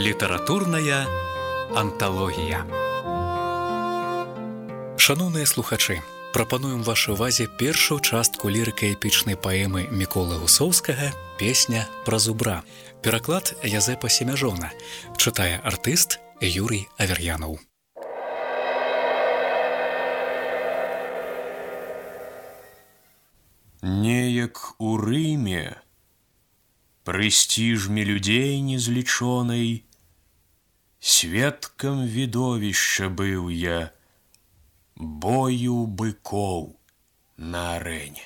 Літаратурная анталогія. Шаноўныя слухачы, прапануем вашай увазе першую частку лірыка-эпічнай паэмы Міколы Гусоўскага «Песня пра зубра». Пераклад Язэпа Семяжона. Чытае артыст Юрый Авер'янаў. Неяк у Рыме прэстижме людзей незлічонай, сведкам відовішча быў я бою быкоў на арэне.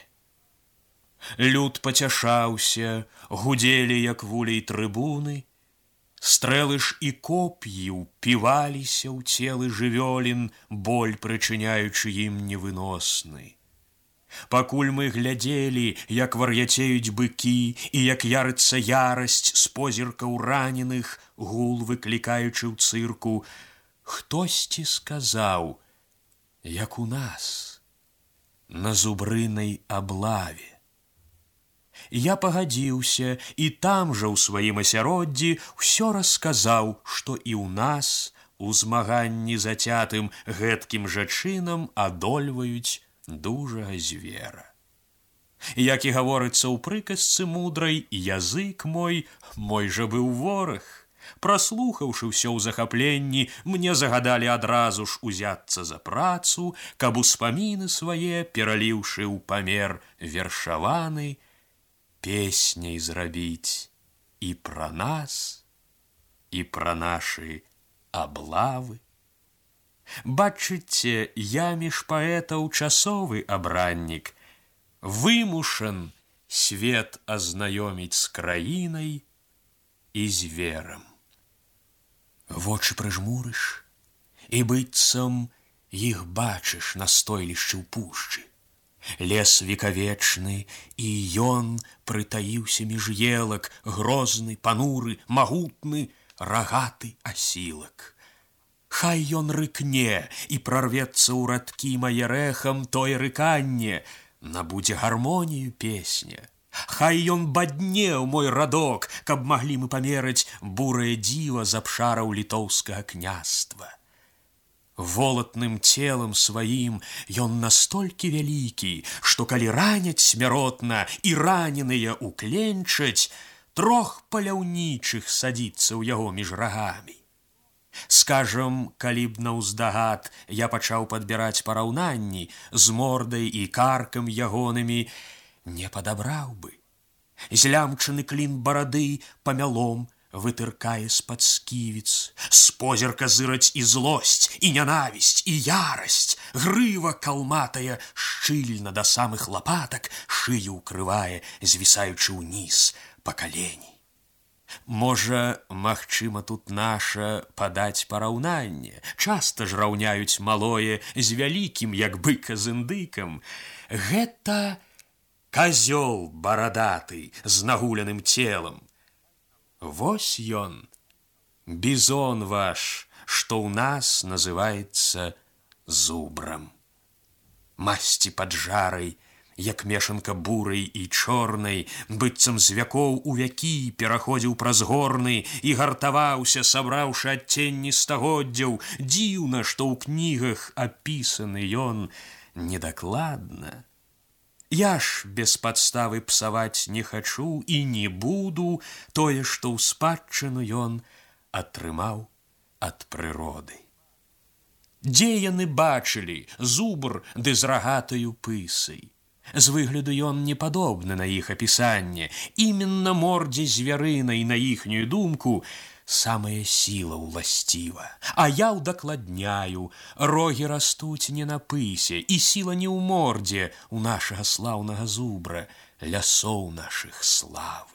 Люд пацяшаўся, гудзелі, як вулей трыбуны, стрэлы ж і коп'і ўпіваліся ў целы жывёлін, боль прычыняючы ім невыносны. Пакуль мы глядзелі, як вар'яцеюць быкі і як ярыцца ярасць з позіркаў раненых, гул выклікаючы ў цырку, хтосьці сказаў, як у нас, на зубрынай аблаве. Я пагадзіўся і там жа ў сваім асяроддзі ўсё расказаў, што і ў нас у змаганні зацятым гэткім жа чынам адольваюць дужага звера. Як і гаворыцца ў прыказцы мудрай, язык мой жа быў вораг. Праслухаўшы ўсё ў захапленні, мне загадалі адразу ж узяцца за працу, каб успаміны свае, пераліўшы ў памер вершаваны, песняй зрабіць і пра нас, і пра нашы аблавы. Бачыце, я між паэтаў часовы абраннік, вымушан свет азнаёміць з краінай і зверам. Вочы прыжмурыш, і быццам іх бачыш на стойлішчы ў пушчы. Лес векавечны, і ён прытаіўся між елак, грозны, пануры, магутны, рагаты асілак. Хай ён рыкне і прорвецца ў радкі мае рэхам, тое рыканне набудзе гармонію песня. Хай ён бадне ў мой радок, каб маглі мы памераць бурае дзіва з абшараў літоўскага княства. Волатным целам сваім ён настолькі вялікі, што калі раняць смяротна і раненыя укленчаць, трох паляўнічых садзіцца ў яго між рагамі. Скажам, калі б наўздагад я пачаў падбіраць параўнанні з мордай і каркам ягонымі, не падабраў бы. Злямчаны клін барады памялом вытыркае з-пад сківіц, з позірка зыраць і злосць, і нянавісць, і ярасць, грыва калматая шчыльна да самых лапатак, шыю ўкрывае, звісаючы ўніз па калені. Можа, магчыма, тут наша падаць параўнанне. Часта ж раўняюць малое з вялікім, як быка з індыкам. Гэта казёл барадаты з нагуляным целам. Вось ён, бізон ваш, што ў нас называецца зубрам. Масці паджарай, як мешанка бурай і чорнай, быццам з вякоў у вякі пераходзіў праз горны і гартаваўся, сабраўшы адценні стагоддзяў. Дзіўна, што ў кнігах апісаны ён недакладна. Я ж без падставы псаваць не хачу і не буду тое, што ў спадчыну ён атрымаў ад прыроды. Дзе яны бачылі зубр ды з рагатаю пысай? З выгляду ён не падобны на іх апісанне. Іменна мордзе звярынай, на іхнюю думку, самая сіла ўласціва. А я ўдакладняю, рогі растуць не на пысе, і сіла не ў мордзе у нашага слаўнага зубра, лясоў нашых славы.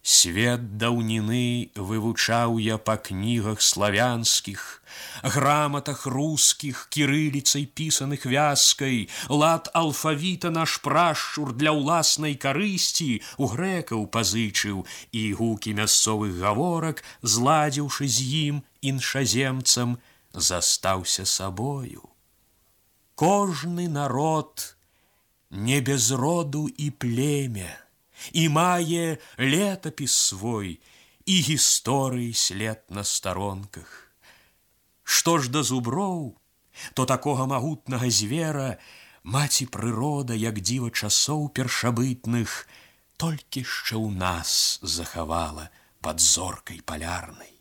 Свет даўніны вывучаў я па кнігах славянскіх, граматах рускіх, кірыліцай пісаных вязкай, лад алфавіта наш прашчур для ўласнай карысці у грэкаў пазычыў і гукі мясцовых гаворак, зладзіўшы з ім іншаземцам, застаўся сабою. Кожны народ не без роду і племя, і мае летапіс свой, і гісторыі след на старонках. Што ж да зуброў, то такога магутнага звера маці прырода, як дзіва часоў першабытных, толькі ще ў нас захавала пад зоркай палярнай.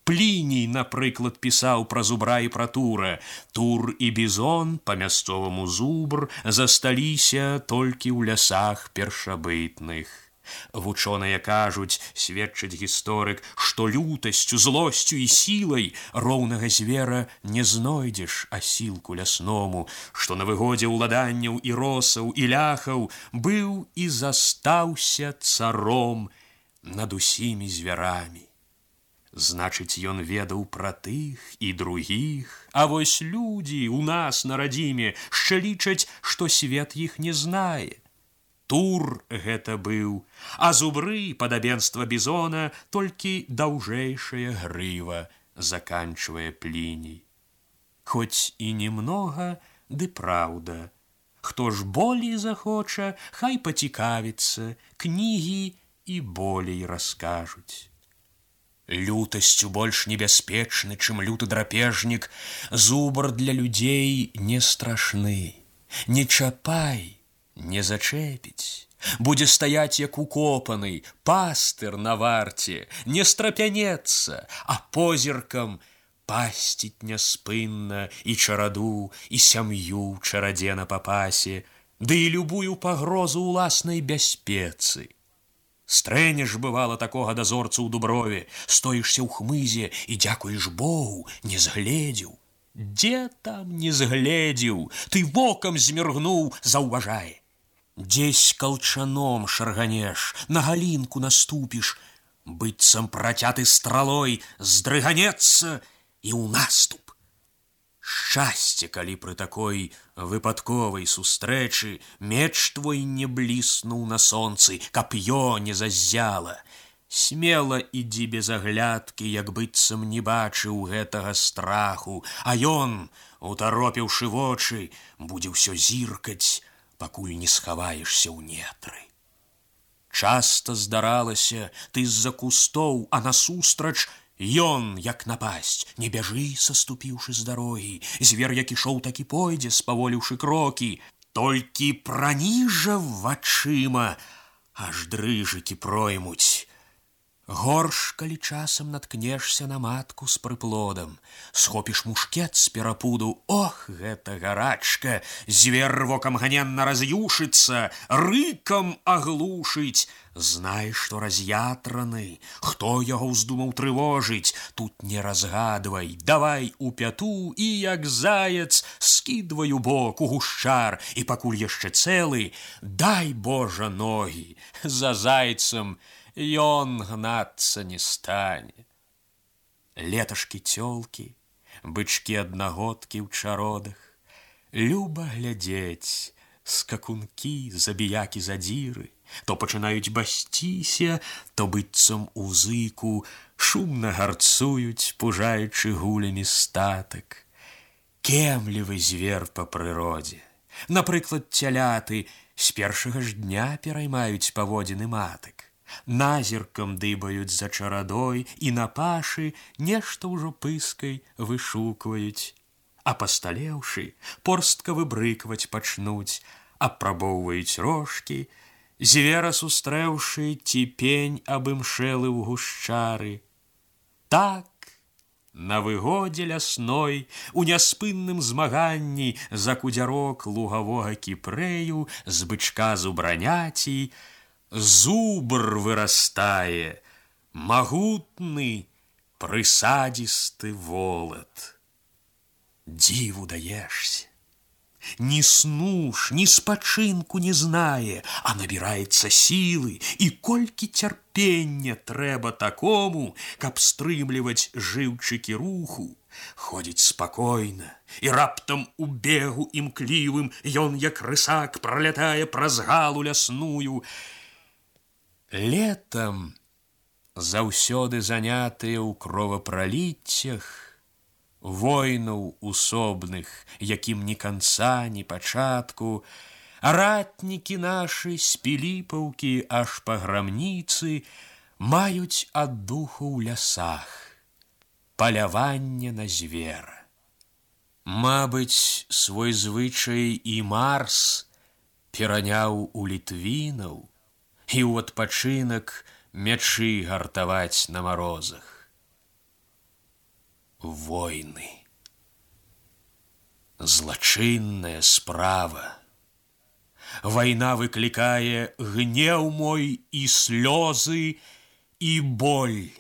Пліній, напрыклад, пісаў пра зубра і пра тура. Тур і бізон, па-мясцоваму зубр, засталіся толькі ў лясах першабытных. Вучоныя кажуць, сведчыць гісторык, што лютасцю, злосцю і сілай роўнага звера не знойдзеш асілку лясному, што на выгодзе ўладанняў і росаў і ляхаў быў і застаўся царом над усімі звярамі. Значыць, ён ведаў пра тых і другіх, а вось людзі ў нас на радзіме шчэ лічаць, што свет іх не знае. Тур гэта быў, а зубры, падабенства бізона, толькі даўжэйшая грыва, заканчвае Пліній. Хоць і немнога, ды праўда. Хто ж болей захоча, хай пацікавіцца, кнігі і болей раскажуць. Лютасцю больш небяспечны, чым люты драпежнік, зубр для людзей не страшны. Не чапай, не зачэпіць, будзе стаяць як укопаны, пастыр на варце, не страпянецца, а позіркам пасціць няспынна і чараду, і сям'ю чарадзе на папасе, ды і любую пагрозу ўласнай бяспецы. Стрэнеш, бывала, такога дазорцу ў дуброве, стоішся ў хмызе і, дзякуеш Богу, не згледзеў. Дзе там не згледзеў? Ты вокам зміргнуў, заўважае. Дзесь калчаном шарганеш, на галінку наступіш, быццам працяты стралой здрыганецца і ў наступ. Шчасце, калі пры такой выпадковай сустрэчы меч твой не бліснуў на сонцы, кап'ё не заззяла. Смела ідзі без аглядкі, як быццам не бачыў гэтага страху, а ён, утаропіўшы вочы, будзе ўсё зіркаць, пакуль не схаваешся ў нетры. Часта здаралася, ты з-за кустоў, а насустрач ён, як напасць, не бяжы, саступіўшы з дарогі. Звер, як ішоў, так і пойдзе, спаволіўшы крокі. Толькі праніжа вачыма, аж дрыжыкі проймуць. Горш, калі часам наткнешся на матку з прыплодам, схопіш мушкет з перапуду, ох, гэта гарачка, звер вокам ганенна раз'юшыцца, рыкам аглушыць. Знай, што раз'ятраны, хто яго ўздумаў трывожыць, тут не разгадвай, давай у пяту і, як заяц, скідвай у бок, у гушчар, і пакуль яшчэ цэлы, дай, Божа, ногі, за зайцам ён гнацца не стане. Леташкі цёлкі, бычкі аднагодкі ў чародах, люба глядзець, скакункі, забіякі задзіры, то пачынаюць басціся, то быццам у зыку шумна гарцуюць, пужаючы гулямі статак. Кемлівы звер па прыродзе. Напрыклад, цяляты з першага ж дня пераймаюць паводзіны матак. Назіркам дыбаюць за чарадой і на пашы нешта ўжо пыскай вышукваюць. А пасталеўшы, порстка выбрыкваць пачнуць, апрабоўваюць рожкі, звера сустрэўшы, ці пень абымшэлы ў гушчары. Так, на выгодзе лясной, у няспынным змаганні за кудзярок лугавога кіпрэю з бычка зубраняцій зубр вырастае, магутны, прысадзісты волат. Дзіву даешся. Ні сну ж, ні спачынку не знае, а набіраецца сілы, і колькі цярпення трэба такому, каб стрымліваць жыўчыкі руху. Ходзіць спакойна, і раптам у бегу імклівым ён, як рысак, пралятае праз галу лясную. Летам, заўсёды занятыя ў кровапраліццях, войнаў усобных, якім ні канца, ні пачатку, ратнікі нашы з Піліпаўкі аж па грамніцы маюць аддуху ў лясах, паляванне на звера. Мабыць, свой звычай і Марс пераняў у літвінаў і ў адпачынак мячы гартаваць на марозах. Войны. Злачынная справа. Вайна выклікае гнеў мой і слёзы, і боль.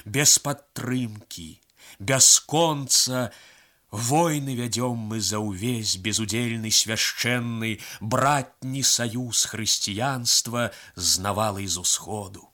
Без падтрымкі, без конца войны вядём мы за ўвесь безудзельны свяшчэнны братні саюз хрысціянства з навалай з усходу.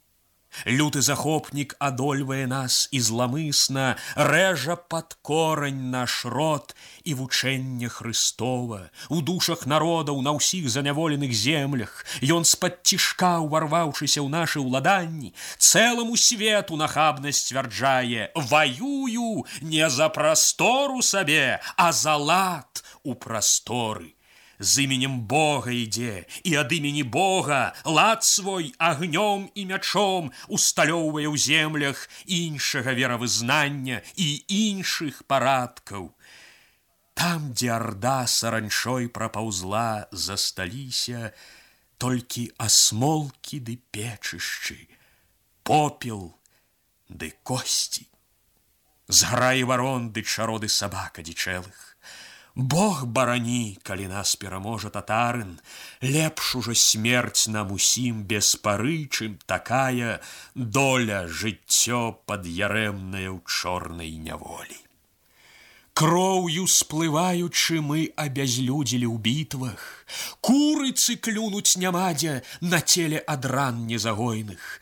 Люты захопнік адольвае нас і зламысна рэжа пад корань наш род і вучэнне Хрыстова. У душах народаў на ўсіх заняволеных землях ён з-пад цішка, уварваўшыся ў нашы ўладанні, цэламу свету нахабна сцвярджае: ваюю не за прастору сабе, а за лад у прасторы. З іменем Бога ідзе, і ад імені Бога лад свой агнём і мячом усталёўвае ў землях іншага веравызнання і іншых парадкаў. Там, дзе арда саранчой прапаўзла, засталіся толькі асмолкі ды печышчы, попел ды косці. Зграі варон ды чароды сабак адзічэлых. Бог барані, калі нас пераможа татарын, лепш ужо смерць нам усім без пары, чым такая доля жыццё пад'ярэмнае ў чорнай няволі. Кроўю сплываючы мы абязлюдзілі ў бітвах, курыцы клюнуць няма дзе на целе ад ран незагойных.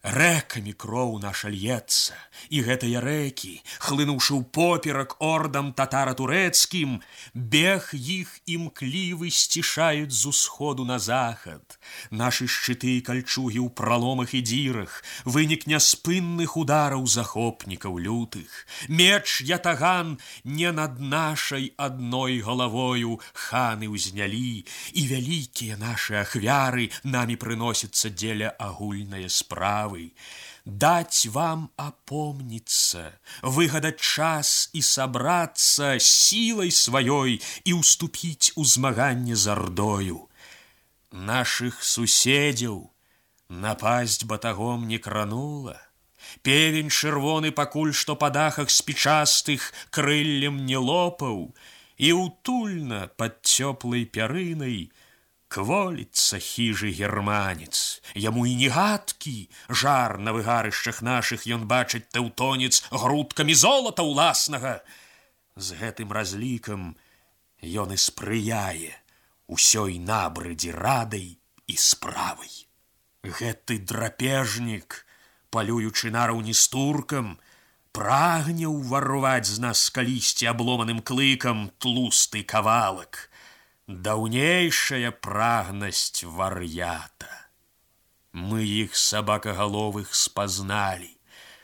Рэкамі кроў наша льецца, і гэтыя рэкі, хлынуўшы ў поперак ордам татара-турэцкім, бег іх імклівы сцішаюць з усходу на захад. Нашы шчыты і кальчугі ў праломах і дзірах, вынік няспынных удараў захопнікаў лютых. Меч ятаган не над нашай адной галавою ханы ўзнялі, і вялікія нашы ахвяры намі прыносяцца дзеля агульнае справы. Дать вам опомниться, выгадать час и собраться силой своей и уступить у змаганне з ардою. Наших суседзяў напасть батагом не кранула. Певень чырвоны пакуль што па дахах спічастых крыллем не лопаў, і утульна пад цёплай пярынай кволіцца хіжы германец. Яму і не гадкі жар на выгарышчах нашых ён бачыць тэўтонец грудкамі золата ўласнага. З гэтым разлікам ён і спрыяе усёй набрыдзе радай і справай. Гэты драпежнік, палюючы нараўні з туркам, прагне ўварваць з нас калісьці абломаным клыкам тлусты кавалак. Даўнейшая прагнасць вар'ята. Мы іх сабакагаловых спазналі,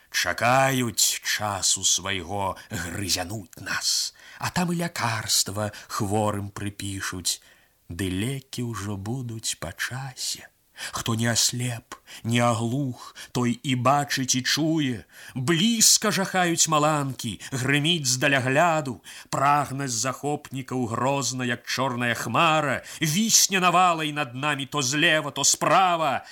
чакаюць часу свайго грызянуць нас, а там і лякарства хворым прыпішуць, ды лекі ўжо будуць па часе. Хто не аслеп, не аглух, той і бачыць і чуе. Блізка жахаюць маланкі, грыміць здалягляду. Прагнасць захопнікаў грозна, як чорная хмара, вісне навалай над намі то злева, то справа.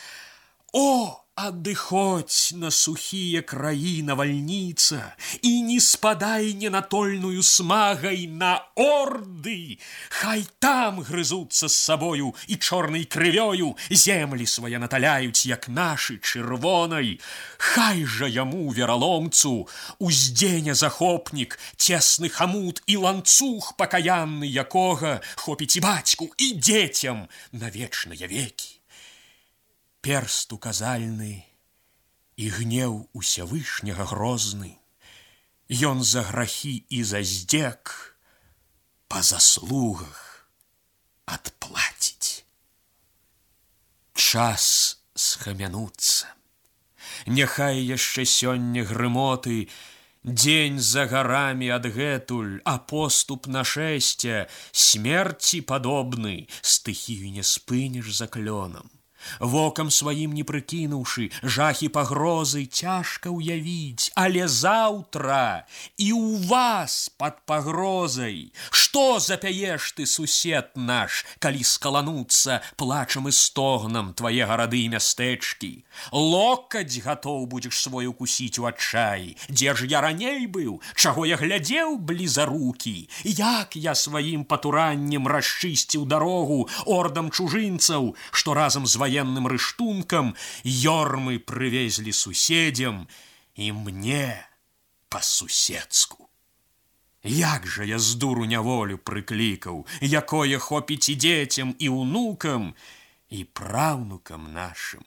О, адыходзь на сухія краі навальніца і не спадай ненатольную смагай на орды. Хай там грызуцца з сабою і чорнай крывёю землі свае наталяюць, як нашы чырвонай. Хай жа яму, вераломцу, уздзеня захопнік, цесны хамут і ланцуг пакаянны, якога хопіць і бацьку, і дзецям на вечныя векі. Перст указальны і гнеў усявышняга грозны, ён за грахі і за здзек па заслугах адплаціць. Час схамянуцца. Няхай яшчэ сёння грымоты, дзень за гарамі адгэтуль, а поступ нашэсця смерці падобны, стыхію не спыніш за клёнам. Вокам сваім не прыкінуўшы, жахі пагрозы цяжка ўявіць, але заўтра і ў вас пад пагрозай. Што запяеш ты, сусед наш, калі скалануцца плачам і стогнам твае гарады і мястэчкі? Локаць гатоў будзеш свой укусіць у адчаі. Дзе ж я раней быў? Чаго я глядзеў блізарукі? Як я сваім патураннем расчысціў дарогу ордам чужынцаў, што разам з военным рыштункам ёрмы прывезлі суседзям і мне па-суседску. Як жа я з дуру няволю прыклікаў, якое хопіць і дзецям, і ўнукам, і праўнукам нашым.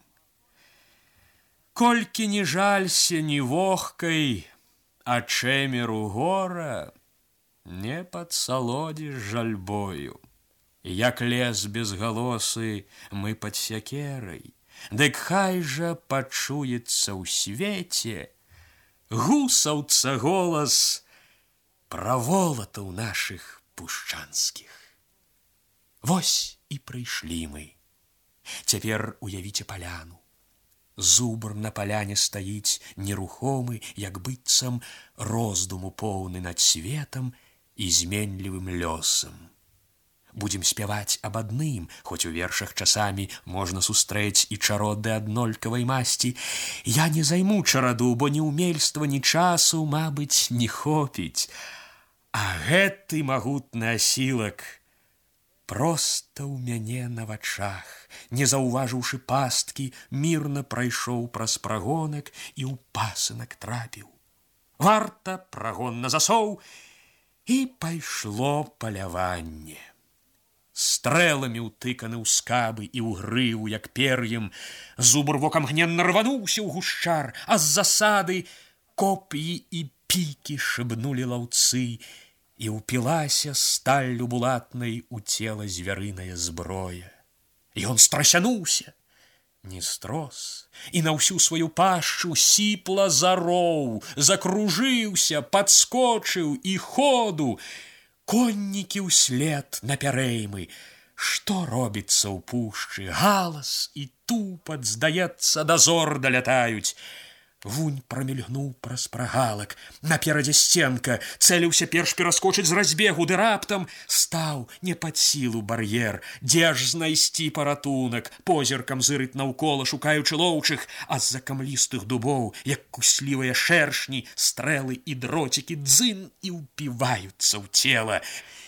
Колькі не жалься ні вохкай, а чэмеру гора не падсалодзіш жальбою. Як лес безгалосы мы пад сякерай, дык хай жа пачуецца ў свеце гусаўца голас пра волатаў нашых пушчанскіх. Вось і прыйшлі мы. Цяпер уявіце паляну. Зубр на паляне стаіць нерухомы, як быццам роздуму поўны над светам і зменлівым лёсам. Будзем спяваць аб адным, хоць у вершах часамі можна сустрэць і чароды аднолькавай масці. Я не займу чараду, бо ні ўмельства, ні часу, мабыць, не хопіць. А гэты магутны асілак проста ў мяне на вачах, не заўважыўшы пасткі, мірна прайшоў праз прагонак і ў пасынак трапіў. Варта, прагон на засоў, і пайшло паляванне. Стрэламі ўтыканы ў скабы і ў грыву, як пер'ем, зубр вокам гненна рвануўся ў гушчар, а з засады коп'і і пікі шыбнулі лаўцы, і ўпілася сталлю булатнай у цела звярыная зброя. Ён страсянуўся, не строс, і на ўсю сваю пашчу сіпла зароў, закружыўся, падскочыў і ходу. Коннікі ўслед напярэймы. Што робіцца ў пушчы? Галас і тупат, здаецца, дазор далятаюць. Вунь прамільгнуў праз прагалак. Наперадзе сценка, цэліўся перш пераскочыць з разбегу, ды раптам стаў не пад сілу бар'ер. Дзе ж знайсці паратунак? Позіркам зырыць наўкола, шукаючы лоўчых, а з-за камлістых дубоў, як куслівыя шэршні, стрэлы і дроцікі дзын і ўпіваюцца ў цела.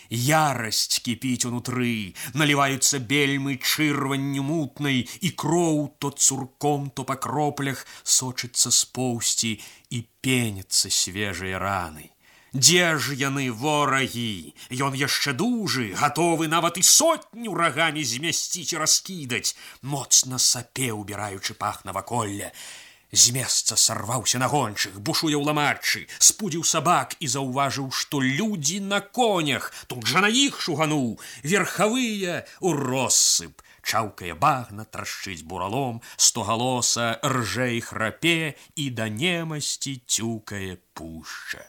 Ярасць кіпіць унутры, наліваюцца бельмы чырванню мутнай, і кроў то цурком, то па кроплях сочыцца з поўсці і пеняцца свежыя раны. Дзе ж яны, ворагі? Ён яшчэ дужы, гатовы нават і сотню рагамі змясціць і раскідаць, моцна сапе, убіраючы пах наваколля. З месца сарваўся на гончых, бушуе ў ламаччы, спудзіў сабак і заўважыў, што людзі на конях. Тут жа на іх шугануў, верхавыя ў россып. Чаўкае багна, трашчыць буралом, стогалоса ржэ і храпе, і да немасці цюкае пушча.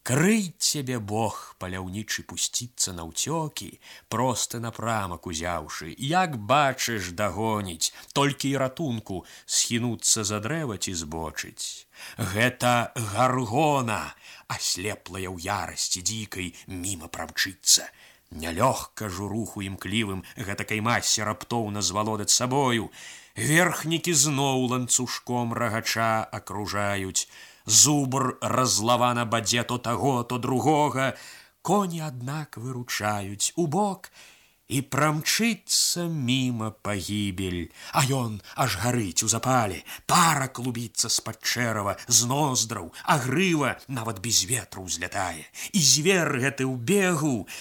Крый цябе Бог, паляўнічы, пусціцца наўцёкі, просты напрамак узяўшы, як бачыш, дагоніць, толькі і ратунку схінуцца за дрэва ці збочыць. Гэта гаргона, аслеплая ў ярасці дзікай, міма прамчыцца. Нялёгка журуху імклівым гэтакай масе раптоўна звалодаць сабою. Верхнікі зноў ланцужком рагача акружаюць. Зубр разлавана бадзе то таго, то другога. Коні, аднак, выручаюць у бок, і прамчыцца міма пагібель. А ён аж гарыць у запале, пара клубіцца з-пад чэрава, з ноздраў, а грыва нават без ветру ўзлятае. І звер гэты ў бегу,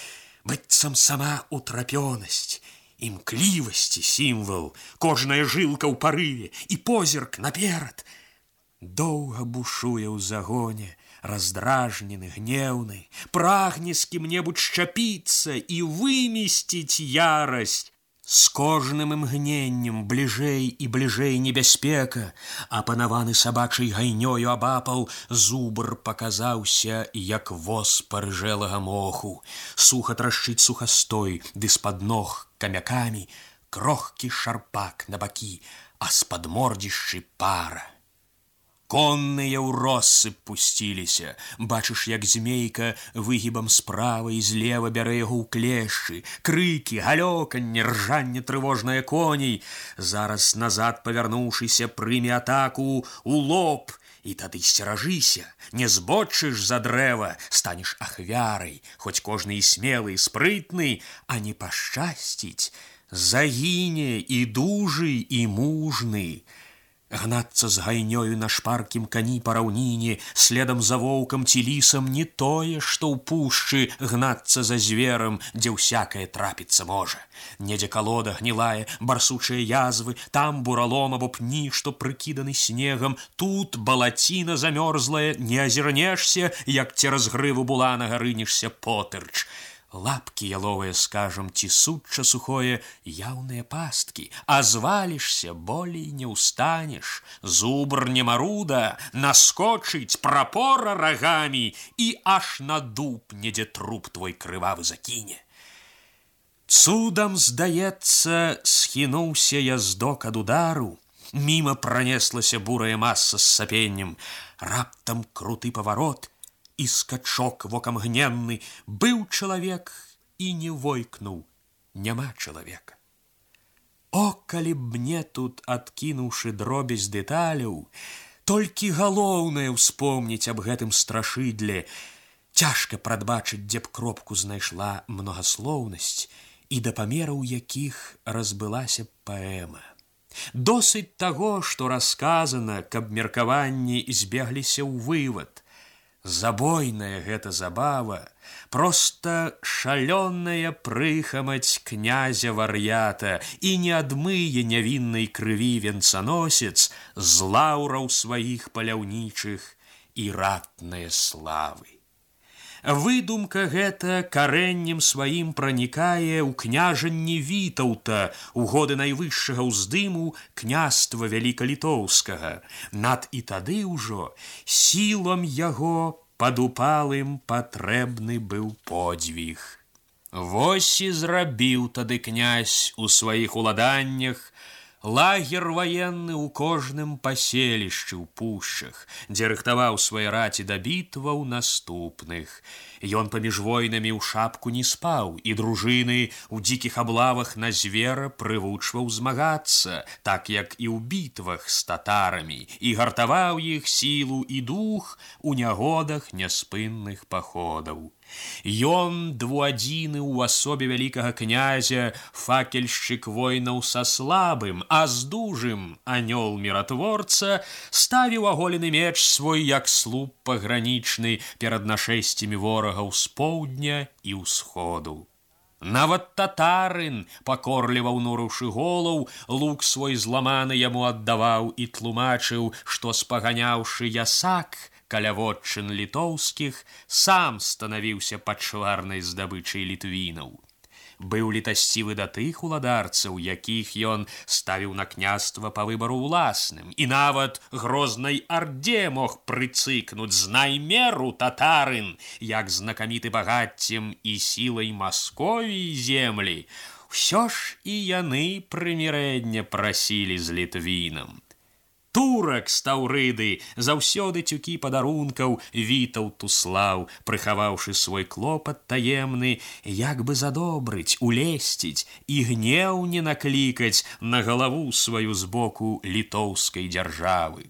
быццам сама утрапёнасць, імклівасці сімвал, кожная жылка ў парыве і позірк наперад. Доўга бушуе ў загоне, раздражнены, гнеўны, прагне з кім-небудзь шчапіцца і вымесціць ярасць. З кожным імгненнем бліжэй і бліжэй небяспека, апанаваны сабачай гайнёю абапал, зубр паказаўся, як воз парыжэлага моху. Суха трашчыць сухастой, ды з-пад ног камякамі крохкі шарпак на бакі, а з падмордзішчы пара. Конныя ў россып пусціліся, бачыш, як змейка выгібам справа і злева бярэ яго ў клешчы, крыкі, галёканне, ржанне трывожнае коней. Зараз назад павярнуўшыся, прыме атаку ў лоб, і тады сцеражыся, не збочыш за дрэва, станеш ахвярай, хоць кожны і смелы, і спрытны, а не пашчасціць, загіне і дужы, і мужны. Гнацца з гайнёю на шпаркім кані па раўніне, следам за воўкам ці лісам не тое, што ў пушчы гнацца за зверам, дзе ўсякае трапіцца можа. Недзе калода гнілая, барсучыя язвы, там буралом або пні, што прыкіданы снегам, тут балаціна замёрзлая, не азірнешся, як цераз грыву буланага рынешся потырч. Лапкі яловыя, скажам, ці сучча сухое, яўныя пасткі, а звалішся, болей не ўстанеш. Зубр не маруда, наскочыць, прапора рагамі, і аж на дуб недзе труп твой крывавы закіне. Цудам, здаецца, схінуўся яздок ад удару, міма пранеслася бурая маса з сапеннем, раптам круты паварот, і скачок вокам гненны, быў чалавек і не войкнуў, няма чалавека. О, калі б мне тут, адкінуўшы дробязь дэталяў, толькі галоўнае ўспомніць аб гэтым страшыдле, цяжка прадбачыць, дзе б кропку знайшла многаслоўнасць і да памераў якіх разбылася паэма. Досыць таго, што расказана, каб меркаванні збегліся ў вывад. Забойная гэта забава, проста шалёная прыхамаць князя-вар'ята і не адмые нявіннай крыві венцаносец з лаўраў сваіх паляўнічых і ратнае славы. Выдумка гэта карэннем сваім пранікае ў княжанні Вітаўта, у годы найвышшага ўздыму княства вялікалітоўскага. Над і тады ўжо сілам яго падупалым патрэбны быў подзвіг. Вось і зрабіў тады князь у сваіх уладаннях лагер ваенны ў кожным паселішчы ў пушчах, дзе рыхтаваў свае раці да бітваў наступных. Ён паміж войнамі ў шапку не спаў, і дружыны ў дзікіх аблавах на звера прывучваў змагацца, так як і ў бітвах з татарамі, і гартаваў іх сілу і дух у нягодах няспынных паходаў. Ён двуадзіны ў асобе вялікага князя, факельшчык войнаў са слабым, а з дужым анёл міратворца, ставіў аголены меч свой, як слуп пагранічны, перад нашэсцямі ворагаў з поўдня і ўсходу. Нават татарын, пакорліва ўнурыўшы голаў, лук свой зламаны яму аддаваў і тлумачыў, што спаганяўшы ясак каля вотчын літоўскіх, сам станавіўся пачварнай здабычай літвінаў. Быў літасцівы да тых уладарцаў, якіх ён ставіў на княства па выбару ўласным, і нават грознай арде мог прыцыкнуць з наймеру татарын, як знакаміты багаццем і сілай Масковіі землі. Усё ж і яны прымірэння прасілі з літвінам. Турак з Таўрыды заўсёды цюкі падарункаў Вітаўту слаў, прыхаваўшы свой клопат таемны, як бы задобрыць, улесціць і гнеў не наклікаць на галаву сваю з боку літоўскай дзяржавы.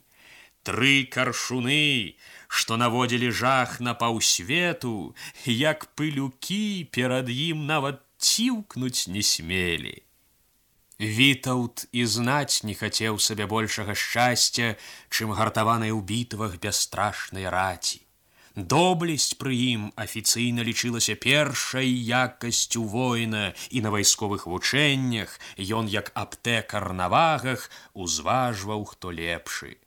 3 каршуны, што наводзілі жах на паўсвету, як пылюкі перад ім нават ціўкнуць не смелі. Вітаўт і знаць не хацеў сабе большага шчасця, чым гартаванай у бітвах бясстрашнай раці. Доблесць пры ім афіцыйна лічылася першай якасцю воіна, і на вайсковых вучэннях ён, як аптэкар на вагах, узважваў, хто лепшы.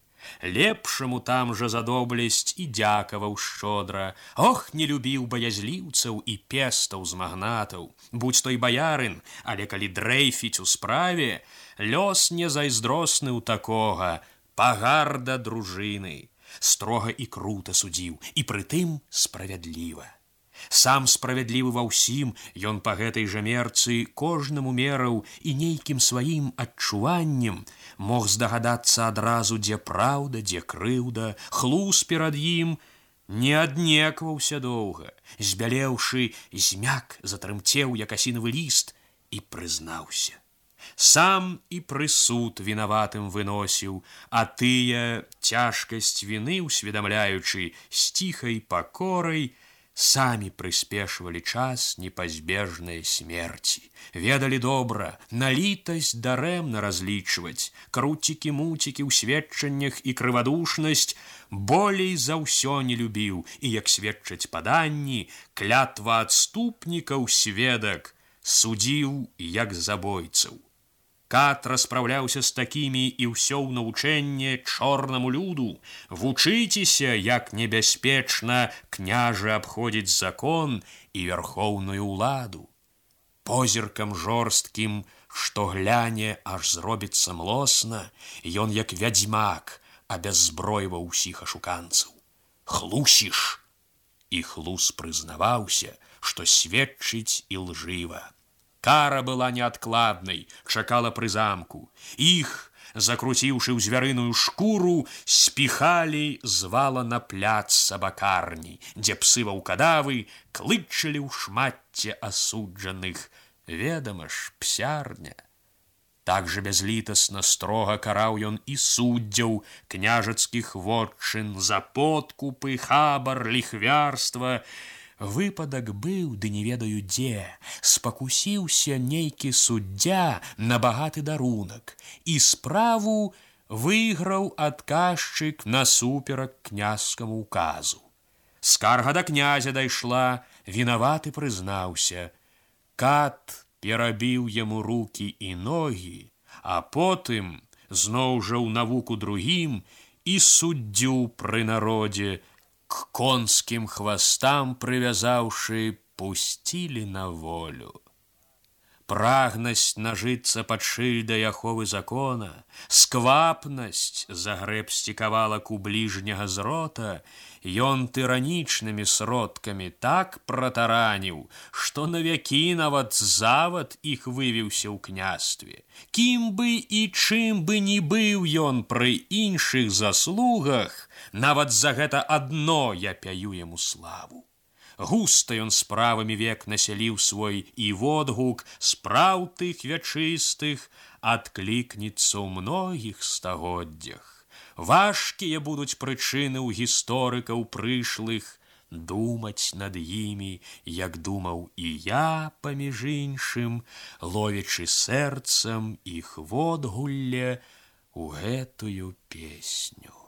Лепшаму там жа за доблесць і дзякаваў шчодра. Ох, не любіў баязліўцаў і пестаў з магнатаў. Будзь той баярын, але калі дрэйфіць у справе, лёс не зайздросны ў такога, пагарда дружыны. Строга і крута судзіў, і прытым справядліва. Сам справядлівы ва ўсім, ён па гэтай жа мерцы кожнаму мераў і нейкім сваім адчуваннем мог здагадацца адразу, дзе праўда, дзе крыўда. Хлус перад ім не аднекваўся доўга, збялеўшы, змяк, затрымцеў, як асінавы ліст, і прызнаўся. Сам і прысуд вінаватым выносіў, а тыя, цяжкасць віны усведамляючы, з ціхай пакорай, самі прыспешвалі час непазбежнай смерці. Ведалі добра, на літасць дарэмна разлічваць, круцікі-муцікі ў сведчаннях і крывадушнасць болей за ўсё не любіў, і, як сведчаць паданні, клятва адступнікаў сведак судзіў як забойцаў. Кат распраўляўся з такімі і ўсё ў навучэнне чорнаму люду. Вучыцеся, як небяспечна княжы абходзіць закон і вярхоўную ўладу. Позіркам жорсткім, што гляне, аж зробіцца млосна, ён, як вядзьмак, абяззбройваў усіх ашуканцаў. Хлусіш! І хлус прызнаваўся, што сведчыць ілжыва. Кара была неадкладнай, чакала пры замку. Іх, закруціўшы ў звярыную шкуру, спіхалі з вала на пляц сабакарні, дзе псы ваўкадавы клычылі ў шматце асуджаных. Ведама ж, псярня. Так жа бязлітасна строга караў ён і суддзяў княжацкіх вотчын за подкупы, хабар, ліхвярства. Выпадак быў, ды не ведаю дзе, спакусіўся нейкі суддзя на багаты дарунак, і справу выйграў адказчык насуперак князскаму указу. Скарга да князя дайшла, вінаваты прызнаўся. Кат перабіў яму рукі і ногі, а потым, зноў жа ў навуку другім, і суддзю пры народзе, к конскім хвастам прывязаўшы, пусцілі на волю. Прагнасць нажыцца пад шыльдай аховы закона, сквапнасць загрэбсцікавала ку бліжняга з рота, ён тыранічнымі сродкамі так пратараніў, што навякі нават завад іх вывіўся ў княстве. Кім бы і чым бы ні быў ён пры іншых заслугах, нават за гэта адно я пяю яму славу. Густа ён справамі век насяліў свой, і водгук спраў тых вячыстых адклікнецца ў многіх стагоддзях. Важкія будуць прычыны ў гісторыкаў прышлых думаць над імі, як думаў і я, паміж іншым, ловячы сэрцам іх водгулле ў гэтую песню.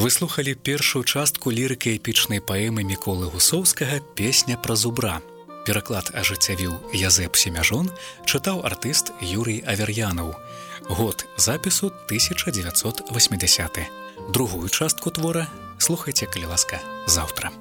Вы слухалі першую частку лірыка-эпічнай паэмы Міколы Гусоўскага «Песня пра зубра». Пераклад ажыццявіў Язэп Семяжон, чытаў артыст Юрый Авер'янаў. Год запісу 1980. Другую частку твора слухайце, калі ласка, заўтра.